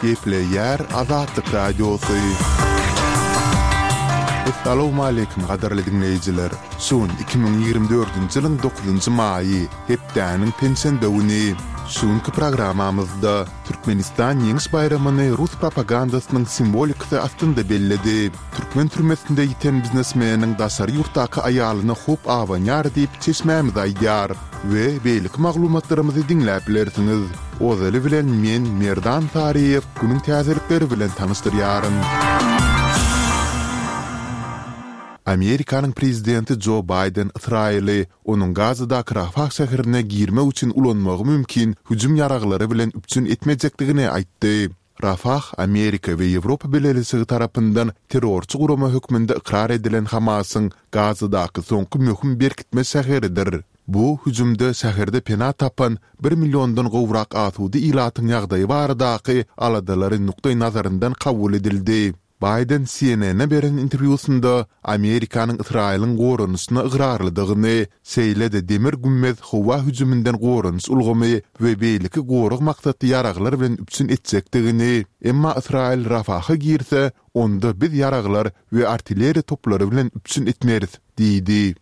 Gepleyer Azatlyk Radiosu. Assalamu alaykum gadarly dinleyijiler. Şun 2024-nji ýylyň 9-njy maýy hepdäniň pensiýa döwüni. Şunky programamyzda Türkmenistan ýeňiş bayramyny Rus propagandasynyň simbolikasy astynda belledi. Türkmen türmesinde ýiten biznesmeniň daşary ýurtdaky aýalyny hop awanýar diýip çeşmämiz aýdýar we beýlik maglumatlarymyzy dinläp bilersiňiz. Ozaly bilen men Merdan Tariýew günüň täzelikleri bilen tanışdyrýarym. Amerikanyň prezidenti Joe Biden Israeli onuň Gazaдағы Rafah şäherine girme üçin ulanmagy mümkin hüjüm ýaraglary bilen üpçün etmejekdigini aýtdy. Rafah Amerika we Ýewropa belediyesi tarapyndan terrorçy gurama hökmünde ikrar edilen Hamasyň Gazadaky soňky möhüm berkitme şäheridir. Bu hüjümde şäherde pena tapan 1 milyondan gowrak asudy ilatyň ýagdaýy baradaky aladalary nukday nazaryndan kabul edildi. Biden CNN'e beren interwýusynda Amerikanyň Israýlyň gorunyşyna ıgrarlydygyny, seýlede demir gümmez howa hüjümünden gorunys ulgamy we beýliki gorug maksatly ýaraglar bilen üpçün etjekdigini, emma Israýl Rafaha girse, onda biz ýaraglar we artilleriýa toplary bilen üpçün etmeriz, diýdi.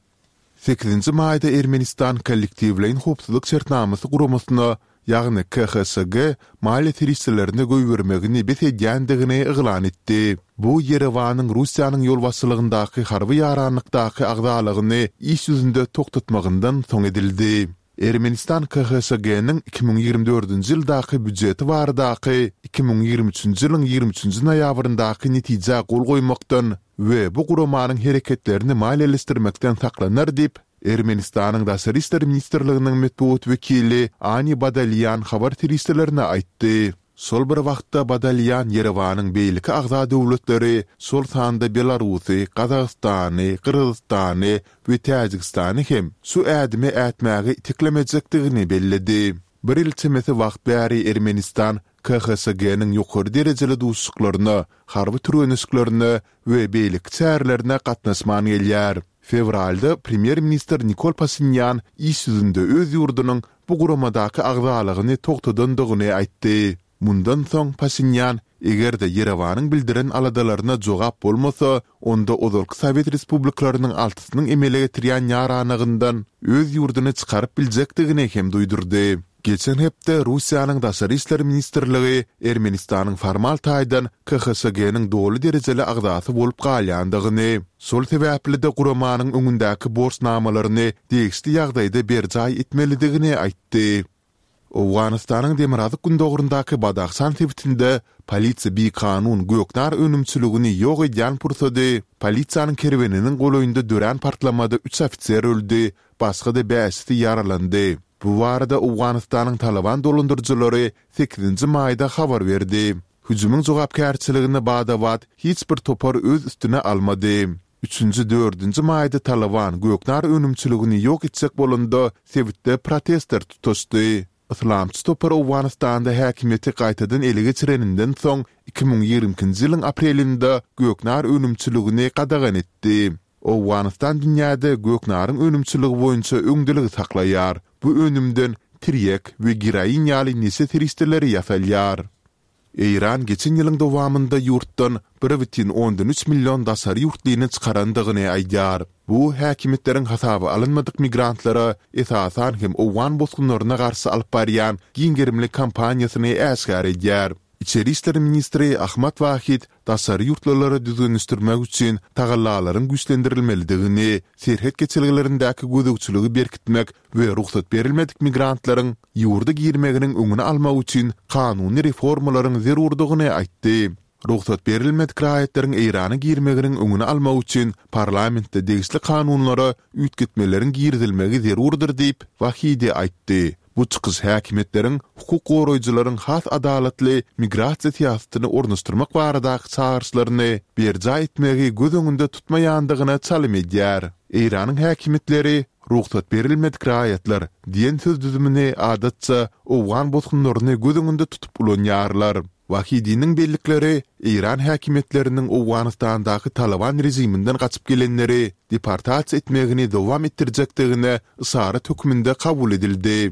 8-nji maýda Ermenistan kollektiwleýin howpsuzlyk şertnamasy guramasyna ýagny KHSG maliýe teristlerini göýbermegini besedýändigini eglan etdi. Bu Yerewanyň Russiýanyň ýolbaşçylygyndaky harby ýaranlykdaky agdalygyny iş ýüzünde toktatmagyndan soň edildi. Ermenistan KHSG-niň 2024-nji ýyldaky büdjeti baradaky 2023-nji ýylyň 23-nji noýabryndaky netije gol goýmakdan we bu guramanyň hereketlerini maliýeleşdirmekden saklanar diýip Ermenistanyň Daşary işler ministrliginiň metbuat wekili Ani Badalyan habar teristlerine aýtdy. Sol bir wagtda Badalyan Yerewanyň beýliki agza döwletleri sol sanda Belarusy, Kazakstany, Kyrgyzstany we Täjikistany hem şu ädimi ätmäge itiklemejekdigini belledi. Bir ýyl çemesi wagt bäri Ermenistan KHSG-niň ýokary derejeli duşuklaryna, harby türenişlerini we beýlik çärlerine gatnaşmany gelýär. Fevralda Premier Minister Nikol Pashinyan iş ýüzünde öz ýurdunyň bu guramadaky agzalygyny toktadandygyny aýtdy. Mundan soň Pashinyan egerde Yerewanyň bildiren aladalaryna jogap bolmasa, onda Ozalky Sowet Respublikalarynyň altysynyň emele getirýän ýaranygyndan öz ýurduny çykaryp biljekdigini hem duýdurdy. Geçen hepde Russiýanyň Daşary işler ministrligi Ermenistanyň formal taýdan KHSG-niň dowly derejeli agzasy bolup galýandygyny, sol sebäpli de guramanyň öňündäki borçnamalaryny degişli ýagdaýda berjaý etmelidigini aýtdy. Awganystanyň Demirazyk gündogrundaky Badakşan sebitinde polisiýa bir kanun göknar önümçiligini ýok edýän pursady polisiýanyň kerweniniň goloýynda dören partlamada 3 ofisier öldü, başga da 5 ýaralandy. Bu barada Awganystanyň Taliban dolandyrjylary 8-nji maýda habar berdi. Hüjümüň jogapkärçiligini badawat hiç bir topar öz üstüne almady. 3-nji 4-nji maýda Taliban göknar önümçiligini ýok etsek bolanda sebitde protestler tutuşdy. Islamçy topar Awganystanda häkimiýeti gaýtadan ele geçireninden soň 2020-nji ýylyň aprelinde göknar önümçiligini gadagan etdi. Awganystan dünýäde göknaryň önümçiligi boýunça öňdelik saklaýar. Bu önümden tiryek we giraýyn ýaly nese teristleri ýasalýar. Iran geçen ýylyň dowamynda ýurtdan 1,3 milyon daşary ýurtlyny çykarandygyny aýdýar. Bu häkimetleriň hasaby alınmadyk migrantlara esasan hem Awgan bosgunlaryna garşy alyp barýan giňgerimlik kampaniýasyny äşgär edýär. İçeri işler ministri Ahmat Wahid daşary ýurtlarary düzgünleşdirmek üçin tagallalaryň güýçlendirilmelidigini, serhet geçilgilerindäki gözegçiligi berkitmek we ruhsat berilmedik migrantlaryň ýurda girmeginiň öňüni almak üçin kanuny reformalaryň zerurdygyny aýtdy. Ruhsat berilmedik raýatlariň Irana girmeginiň öňüni almak üçin parlamentde degişli kanunlara üýtgetmeleriň girdilmegi zerurdyr diýip Wahid aýtdy. Bu çykyş häkimetleriň hukuk goraýjylaryň has adalatly migrasiýa siýasatyny ornaşdyrmak baradaky çağırşlaryny berja etmegi göz öňünde tutmaýandygyna çalym edýär. Iranyň häkimetleri ruhsat berilmedik raýatlar diýen söz düzümini adatça Awgan bosgunlaryny göz öňünde tutup ulanýarlar. Wahidiniň bellikleri İran häkimetleriniň Awganystandaky Taliban rejiminden gaçyp gelenleri deportasiýa etmegini dowam etdirjekdigine ysary hökmünde kabul edildi.